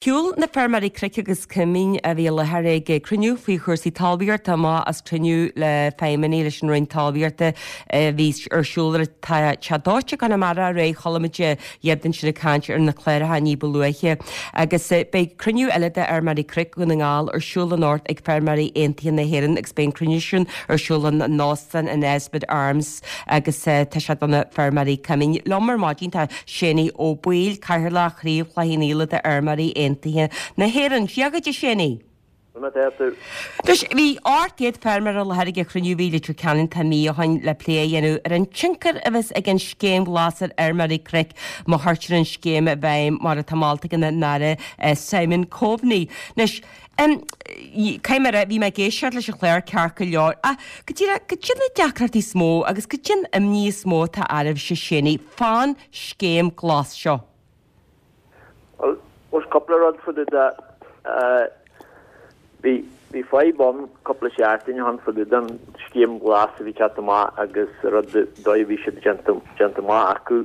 Shiúil na feirmeoirí cnoic agus coimín a bhí i láthair ag cruinniú faoi chúrsaí talmhaíochta amach as cruinniú le feidhmeannaigh leis an Roinn Talmhaíochta a bhí ar siúl ar an Teach Dóite i gConamara aréir. Chuala muid iad ansin ag caint ar na cláracha ní ba luaithe. Agus beidh cruinniú eile de fheirmeoirí cnoic Dhún na nGall ar siúl anocht ag Feirmeoirí Aontaithe na hÉireann agus beidh an cruinniú sin ar siúl in Óstán an Esmond Arms agus tá sé do na feirmeoirí coimín. Liom ar maidin tá Séanie Ó Baoill, Cathaoirleach Chraobh Chloich Cheann Fhaola de Fheirmeoirí Aontaithe na hÉireann. Dia dhuit a Séanie. Conas atá tú? Anois, bhí 800 feirmeoir i láthair ag an chruinniú a bhí i Leitir Ceanainn tá mí ó shin le plé a dhéanamh ar an tionchar a bheas ag an Scéim Ghlas ar fheirmeoirí cnoic má chuirtear an scéim i bhfeidhm mar atá molta ag an Aire Simon Coveney. Anois, Caithfidh mé a rá, bhí mé ag éisteacht leis an chlár ceart go leor, ach go díreach, cad iad na deacrachtaí is mó agus cad é an imní is mó atá oraibhse, Séanie, fán scéim glas seo? Bhuel, there's cúpla rud fá dtaobh de. Bhí, bhí fadhb ann cúpla seachtain ó shin fá dtaobh den scéim ghlas a bhí teacht amach agus rud dóigh a bhí siad déanta, déanta amach acu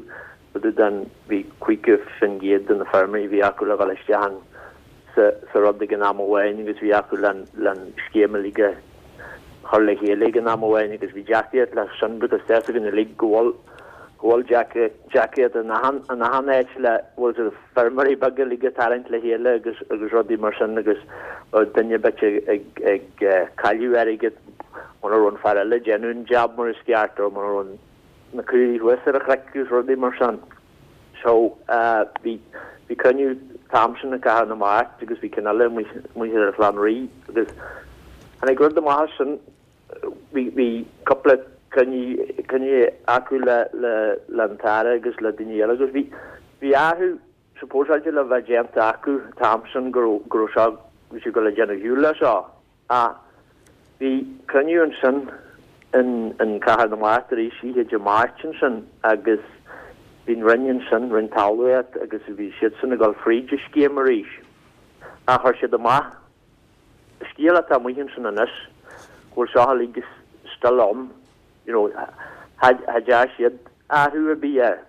fá dtaobh den, bhí 50% de na feirmeoirí a bhí acu le dhul isteach an, sa, sa rud ag an am amháin agus bhí acu len, len scéim uilig a chur le chéile ag an am amháin agus bhí deacraíocht leis sin because tá fhios againn uilig go bhfuil, go bhfuil deacraíocht in achan, in achan áit le, bhfuil siad feirmeoirí beaga uilig a tarraingt le chéile agus, agus rudaí mar sin agus duine ar bith ag, ag, ag cailleadh airgead muna raibh an fear eile ag déanamh an jab mar is ceart or muna raibh an na caoirigh thuas ar an chnoic agus rudaí mar sin. So, bhí, bhí cruinniú an t-am sin i gCathair na Mart agus bhí ceann eile amuigh, amuigh ar an Chlann Rí agus tháinig rud amach as sin, bhí, bhí cúpla cruinniú, cruinniú acu le, le, le an tAire agus le daoine eile agus bhí, bhí athrú supposáilte le bheith déanta acu an t-am sin go raibh, go raibh seo, bhí siad ag dul a déanamh shiúl le seo. Ach bhí cruinniú ansin in Cathair na Mart arís oíche Dé Máirt ansin agus bhí an Roinn ansin, Roinn Talmhaíochta, agus bhí siadsan ag dul fríd an scéim arís. Ach chuir siad amach scéal atá amuigh ansin anois go bhfuil seo uilig still ann, you know, cha dtearn siad athrú ar bith air.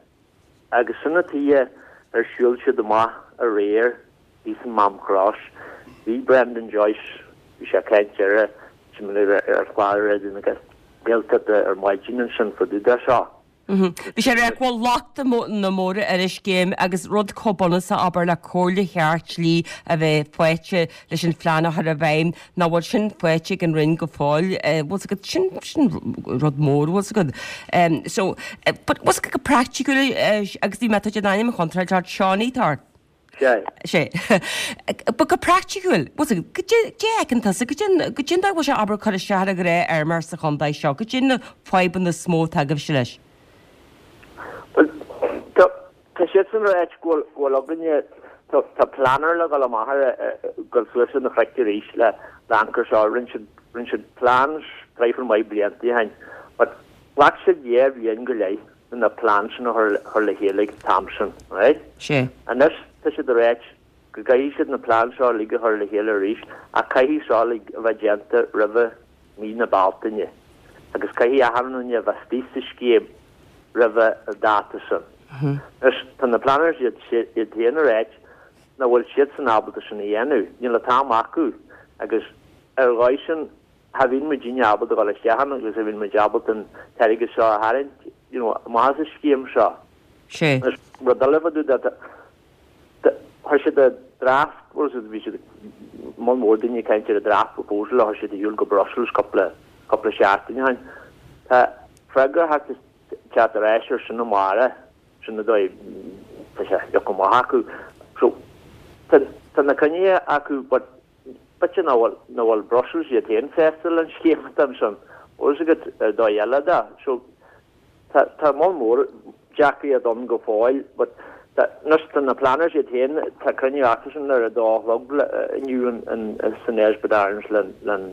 Agus sin an tuige ar shiúil siad amach aréir thíos in Maam Cross. Bhí Brendan Joyce, bhí sé ag caint ar ar chlár Raidió na Gaeltachta ar maidin ansin fá dtaobh de seo. Bhí sé ag rá go bhfuil lochtanna móra ar an scéim agus rud chomh bunúsach abair le comhairle cheart dlí a bheith faighte leis an phlean a chur i bhfeidhm, nach bhfuil sin faighte ag an Roinn go fóill. Bhfuil 's agat, sin, sin rud mór, bhfuil 's agat. So, but bhfuil 's agat go praiticiúil, agus bhí mé, tá an ainm contráilte ort, Seánie atá ort. Sé. Sé. But go praiticiúil, bhfuil 's agat, goidé a fheiceann tusa, goidé, goidé an dóigh a bhfuil sé abair cur isteach ar an ghnáthfheirmeoir sa chontae seo, goidé na fadhbanna is mó atá agaibhse leis? Bhuel, tá, Tá siadsan ag ráit go bhfuil againne, tá planner le dhul amach ar, dhul suas ar na cnoic arís le anchor seo. Rinne siad, rinne siad plans traidhfil maith blianta ó shin but ghlac siad dhá bhliain go leith le na plans sin a chur le chéile ag an t-am sin, right? Sé. Anois tá siad ag ráit go gcaithfidh siad na plans seo uilig a chur le chéile arís ach caithfidh seo uilig a bheith déanta roimhe mí na Bealtaine agus caithfidh achan duine a bheith istigh sa scéim roimhe an dáta sin. Anois, tá na planners iad féin ag ráit nach bhfuil siadsan ábalta sin a dhéanamh, níl an t-am acu agus ar dhóigh sin cha bhíonn muidinne ábalta dul isteach ann agus cha bhíonn muid ábalta an t-airgead seo a tharraingt you know, amach as an scéim seo. Sé. Anois, rud eile fá dtaobh de, Chuir siad a draft, bhuel bhí siad, moll mór daoine ag caint ar a draft proposal a chuir siad ar shiúl go Brussels cúpla, cúpla seachtain ó shin. Tá freagra ag teacht ar ais ar sin amárach, sin an dóigh, tá sé ag amach acu. So, tá, tá na cruinnithe acu but b'fhéidir nach bhfuil, nach bhfuil Brussels iad féin sásta leis an scéim atá ansin. Bhfuil fhios agat ar dóigh eile de. So, Tá tá moll mór deacraíocht ann go fóill but tá anois tá na planners iad féin tá cruinniú acusan ar a dó a chlog inniu in san Esmond Arms le le'n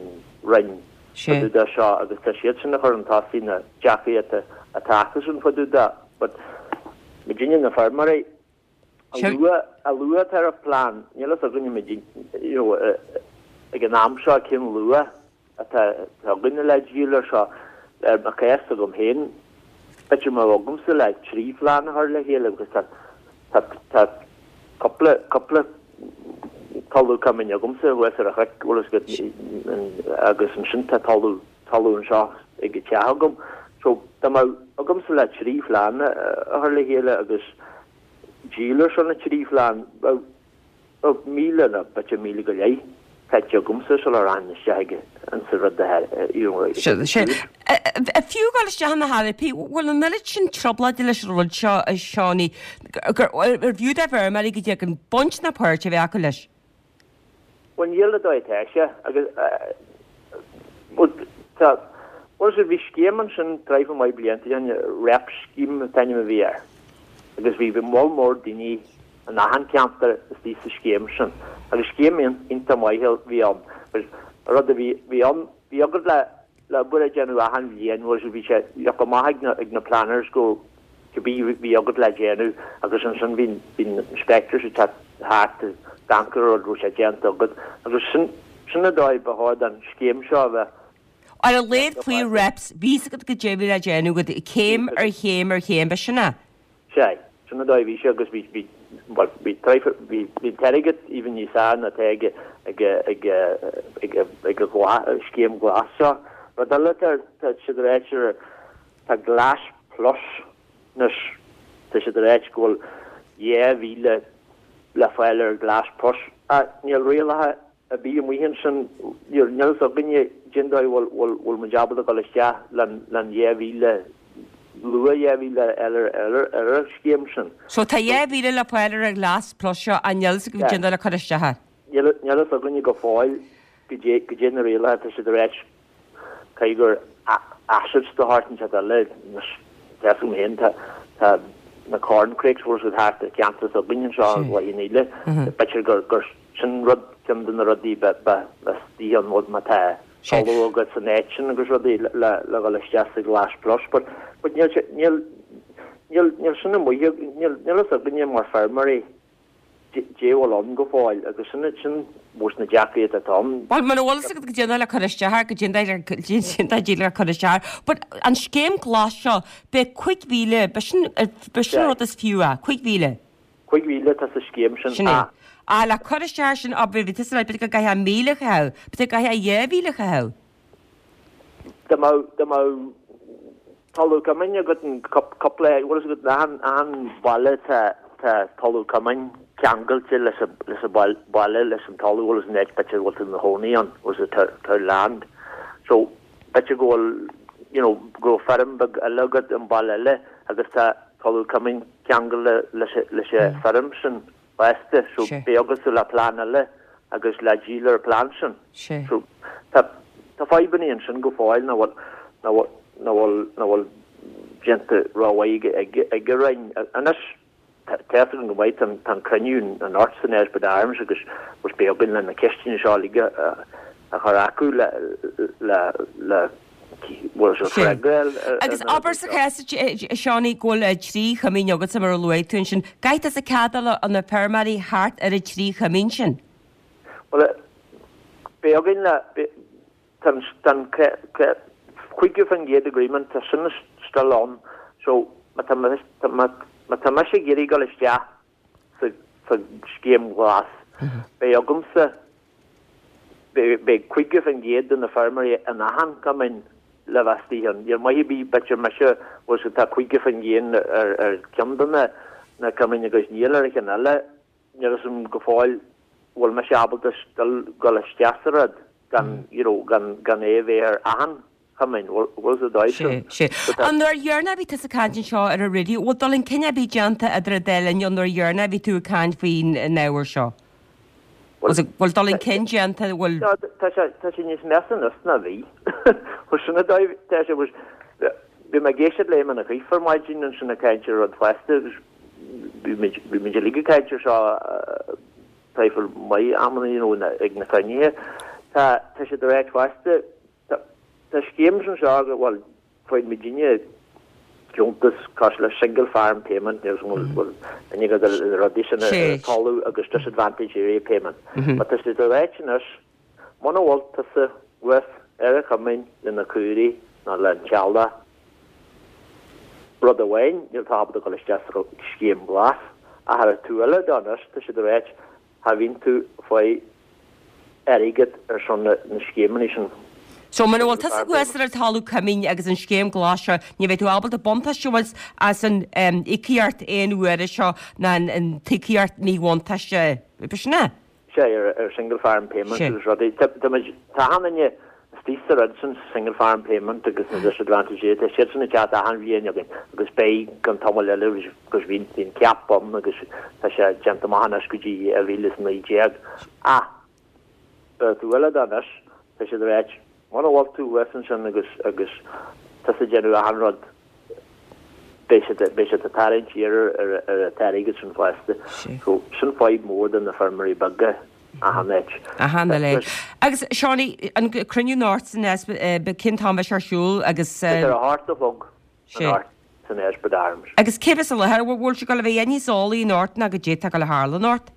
Roinn fá dtaobh de seo agus tá siadsan ag cur chun tosaigh na deacraíochta atá acusan fá dtaobh de but muidinne na feirmeoirí A luaithe, a luaithe atá ar plean, níl fhios againne muid, you know, ag an am seo cén luath atá againne le díol ar seo. Ar mo chás agam féin, b'fhéidir má bheadh agamsa le trí phlean a chur le chéile agus tá, tá, tá cúpla, cúpla. talamh coimín agamsa thuas ar an chnoc, bhfuil fhios agat, agus ansin tá talamh, talamh anseo ag an teach agam. So dá mbeadh agamsa le 3 phlean a chur le chéile agus díol ar son na 3 phlean, bheadh, bheadh 1,000 nó b'fhéidir 1,000 go leith caite agamsa sula rachainn isteach ag an sa rud a you know ag an Sea. Fiú dul isteach ina theiripí, bhfuil an oiread sin trioblóide leis an rud seo, a Seánie, gur arbh fhiú do bhfeirmeoirí go dtagann baint ná páirt a bheith acu leis? Bhuel níl an dóigh atá sé agus bhuel tá bhuel bhí scéim ansin traidhfil maith blianta ó shin, REP scheme an t-ainm a bhí air agus bhí moll mór daoine in achan ceantar istigh sa scéim sin agus scéim iontach maith a bhí ann agus an rud a bhí bhí ann bhí agat le le obair a dhéanamh achan bhliain bhuel bhí sé leagtha amach ag na ag na planners go cibé bhí agat le déanamh agus ansin bhí bhí na inspectors ag teacht thart ag amharc ar an rud raibh sé déanta agat agus sin sin an dóigh ba chóir don scéim seo a bheith Ar a laghad faoi reps, bhí fhios agat goidé a bhí le déanamh agat céim ar chéim ar chéim, b'shin é? Sea, sin an dóigh a bhí sé agus bhí, bhí, bhuel, bhí traidhfil, bhí, bhí an t-airgead even níos fearr ná atá ag, ag, ag, ag, ag an ghlas, scéim ghlas seo. Rud eile tá, tá siad ag ráit ar, tá Glas Plus anois, tá siad ag ráit go bhfuil 2,000 le fáil ar Glas Plus. Ach níl rialacha ar bith amuigh ansin, níl a fhios againne cén dóigh bhfuil, bhfuil, bhfuil muid ábalta dul isteach len, len 2,000, luath 2,000 eile ar, ar an scéim sin. So tá 2,000 le fáil ar an Ghlas Plus seo ach níl a fhios agaibh cén dóigh le cur isteach air. Níl, níl a fhios againne go fóill goidé, goidé na rialacha, tá siad ag ráit Caithfidh gur assets de shórt inteacht eile, anois tá fhios agam féin, tá na corncrakes bhfuil siad thart ar cheantar s'againn anseo i Loch an Íle, b'fhéidir gur gur sin rud, ceann de na rudaí ba ba istigh ann má tá talamh agat san áit sin agus rudaí le le dhul isteach sa Ghlas Plus but but níl sé níl níl níl sin amuigh níl níl fhios againne mar feirmeoirí goidé a bhfuil ann go fóill agus sin sin mós na deacrachtaí atá ann. Bhuel, muna bhfuil fhios agat goidé le cur isteach air, goidé goidé le cur isteach air. But an scéim glas seo, beidh 5,000, b'shin, b'shin an rud is fiú é, 5,000. 5,000 atá sa scéim sin. Sin é. Ah, le cur isteach air sin, ah, bhí tusa ag rá, b'fhéidir go gcaithfeá 1,000 a chaitheamh, b'fhéidir go gcaithfeá 2,000 a chaitheamh. Dá mbeadh, dá mbeadh talamh coimín agat in cúpla, bhfuil fhios agat, achan, achan baile tá, tá talamh coimín ceangailte leis an, leis an baile, leis an talamh, bhfuil fhios an áit b'fhéidir bhfuil tú ina chónaí ann, bhfuil fhios agat, tá land. So, b'fhéidir go bhfuil, you know, go bhfuil feirm beag eile agat i mbaile eile agus tá talamh coimín ceangailte leis, leis an feirm sin. fosta, so beidh agatsa le plean eile agus le díol ar an plean sin. So tá tá fadhbanna ansin go fóill nach bhfuil nach bhfuil nach bhfuil nach bhfuil déanta rómhaith ag ag ag an Roinn. Anois tá tá fhios agam go maith tá an tá an cruinniú anocht san Ellsworth Arms agus agus beidh againn le na ceisteanna seo uilig a a chur acu le le le bhfuil sé freagra ar Agus abair sa chás, a Seánie, go bhfuil 3 choimín agatsa mar a luaigh tú ansin, caithfidh tusa cead a fháil ó na feirmeoirí thart ar an 3 choimín sin? Bhuel, beidh againn le, tá an 50% agreement, tá sin still ann, so má tá má tá mise ag iarraidh dul isteach sa scéim ghlas, beidh agamsa Beidh 50% de na feirmeoirí in achan cumann le bheith istigh ann. Níl maith ar bith, b'fhéidir mise, bhfuil fhios agat, tá 50% ar cheann de na cumainn agus níl ar an cheann eile. Níl fhios agam go fóill bhfuil mise ábalta still dul isteach sa rud gan, you know, gan é a bheith ar achan chumann, bhfuil fhios agat dóibh sin. Sea, sea. An uair dheireanach a bhí tusa ag caint anseo ar an raidió, bhfuil dul chun cinn ar bith déanta idir an dá linn ón uair dheireanach a bhí tú ag caint faoin ábhar seo? Bhfuil dul chun cinn déanta, bhfuil. Tá sé, tá sé níos measa anois ná bhí. Bhuel, sin an dóigh, tá sé, bhí mé ag éisteacht le Éamonn Ó Cuív ar maidin ansin ag caint ar rud fosta agus bhí muid, bhí muid uilig ag caint ar seo traidhfil maith amanna, you know, ag na cruinnithe. Tá, tá siad ag ráit fosta, Tá scéims anseo go bhfuil faigheann muidinne deontas cosúil le single farm payment níl bhfuil bhfuil aithne agat ar na rudaí sin ar an talamh agus disadvantaged area payment. But tá siad ag ráit anois muna bhfuil tusa thuas ar an choimín le na caoirigh nó le an teaghlach rud amháin níl tú ábalta dul isteach sa scéim ghlas ach ar an taobh eile de anois tá siad ag ráit. Cha bhíonn tú ag fáil airgead ar son na scéimeanna sin. So muna bhfuil tusa thuas ar an talamh coimín agus an scéim glas seo, ní bheidh tú ábalta buntáiste a bhaint as an íocaíocht aon uaire seo ná an t-íocaíocht míbhuntáiste. B'shin é? Sea, ar single farm payment agus rudaí. Tá muid, tá achan duine istigh sa rud sin, single farm payment agus na disadvantage area, tá siad sin ag teacht achan bhliain againn agus beidh go ceann tamaill eile agus bhí an cap ann agus tá sé déanta amach anois go dtí 2019. Ach ar an taobh eile de anois, tá siad ag ráit, muna bhfuil tú thuas ansin agus agus tusa ag déanamh achan rud, beidh siad beidh siad ag tarraingt siar ar ar an t-airgead sin fosta. So sin fadhb mór do na feirmeoirí beaga achan áit. Achan uile. Agus Seánie, an cruinniú anocht san cén t-am a bheidh sé ar siúl agus. Tá sé ar a hocht a chlog anocht san Eshbert Arms. Agus cé bheas i láthair? Bhfuil sé ag dul a bheith níos eolaí anocht ná goidé atá ag dul a tharlú anocht?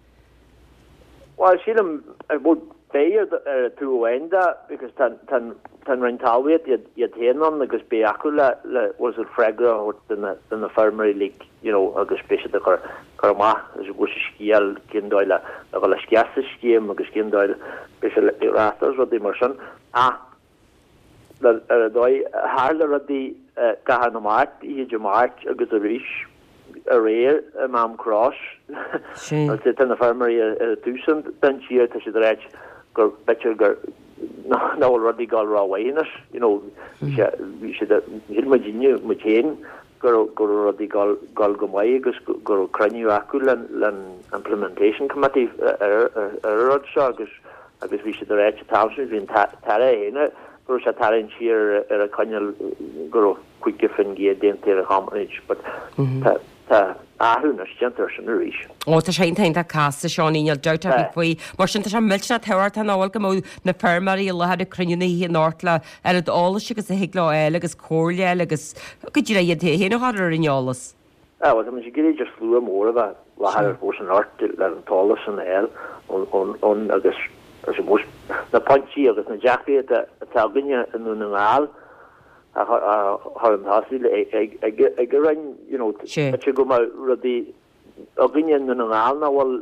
Bhuel, sílim, bhuel, beidh ar an taobh amháin de because tá tá tá an Roinn Talmhaíochta iad iad féin ann agus beidh acu le le bhfuil a fhios agat freagra a thabhairt do na do na feirmeoirí like you know agus beidh siad ag cur cur amach agus bhfuil sa scéal cén dóigh le le dhul isteach sa scéim agus cén dóigh le beidh sé le reáchtáil agus rudaí mar sin ach Ar an dóigh a tharla rudaí i gCathair na Mart oíche Dé Máirt agus arís aréir i Maam Cross. Tá na feirmeoirí ar an taobh sin den tír, tá siad ag ráit gur b'fhéidir gur nach bhfuil rudaí ag dul rómhaith anois. You know, bhí sé, bhí siad, shíl muidinne, muid féin, go raibh, go raibh rudaí ag dul, dul go maith agus go raibh cruinniú acu len, len Implementation Committee ar, ar an rud seo agus agus bhí siad ag ráit an t-am sin, bhí an tAire féin go raibh sé ag tarraingt siar ar an choinníoll go raibh 50% déanta ar an chomponent but tá tá athrú anois déanta ar sin arís. Ó tá sé iontach iontach casta Seánie, níl dabht ar bith faoi. Mar sin tá sé millteanach tábhachtach nach bhfuil go mbeadh na feirmeoirí i láthair ag cruinniú na hoíche anocht le oiread eolais agus a thig leo a fháil agus comhairle a fháil agus go díreach iad féin a chur ar an eolas. Ah, bhuel, tá muid ag iarraidh slua mór a bheith i láthair ar fós anocht le an t-eolas sin a fháil ón agus I suppose na pointí agus na deacrachtaí atá againne i nDún na nGall a chur chun tosaigh ag an Roinn, you know, b'fhéidir go mbeadh rudaí againne i nDún na nGall nach bhfuil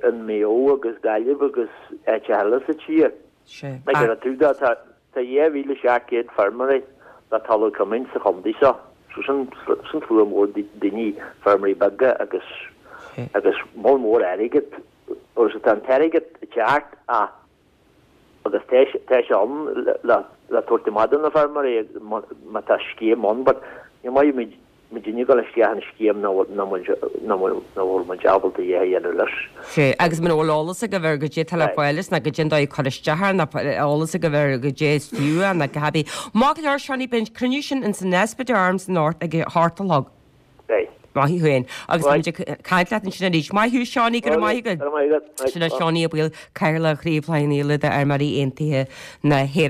in Maigh Eo agus Gaillimh agus áiteacha eile sa tír. Ag an taobh de, tá Tá 2,700 feirmeoirí le talamh coimín sa chontae seo, so sin sin slua mór daoine, feirmeoirí beaga agus agus moll mór airgid agus tá an t-airgead ag teacht ach agus tá tá sé ann le le tabhairt amach do na feirmeoirí má tá scéim ann but ní maith muid muidinne ag dul isteach in scéim nach bhfuil muid ábalta a dhath a dhéanamh leis. Sea, agus muna bhfuil eolas agaibh ar goidé atá le fáil as, ná goidé an dóigh a cur isteach air, ná eolas agaibh ar goidé is fiú é, ná cibé. Maith go leor, Seánie, beidh an cruinniú sin ins an Nesbitt Arms anocht ag a hocht a chlog. Beidh. Maith thú féin. Agus beidh muid ag caint leat ansin arís. Maith thú, Seánie, go raibh maith agat. Go raibh maith agat. Sin é Seánie Ó Baoill, Cathaoirleach Chraobh Chloich Cheann Fhaola d'Fheirmeoirí Aontaithe na hÉireann.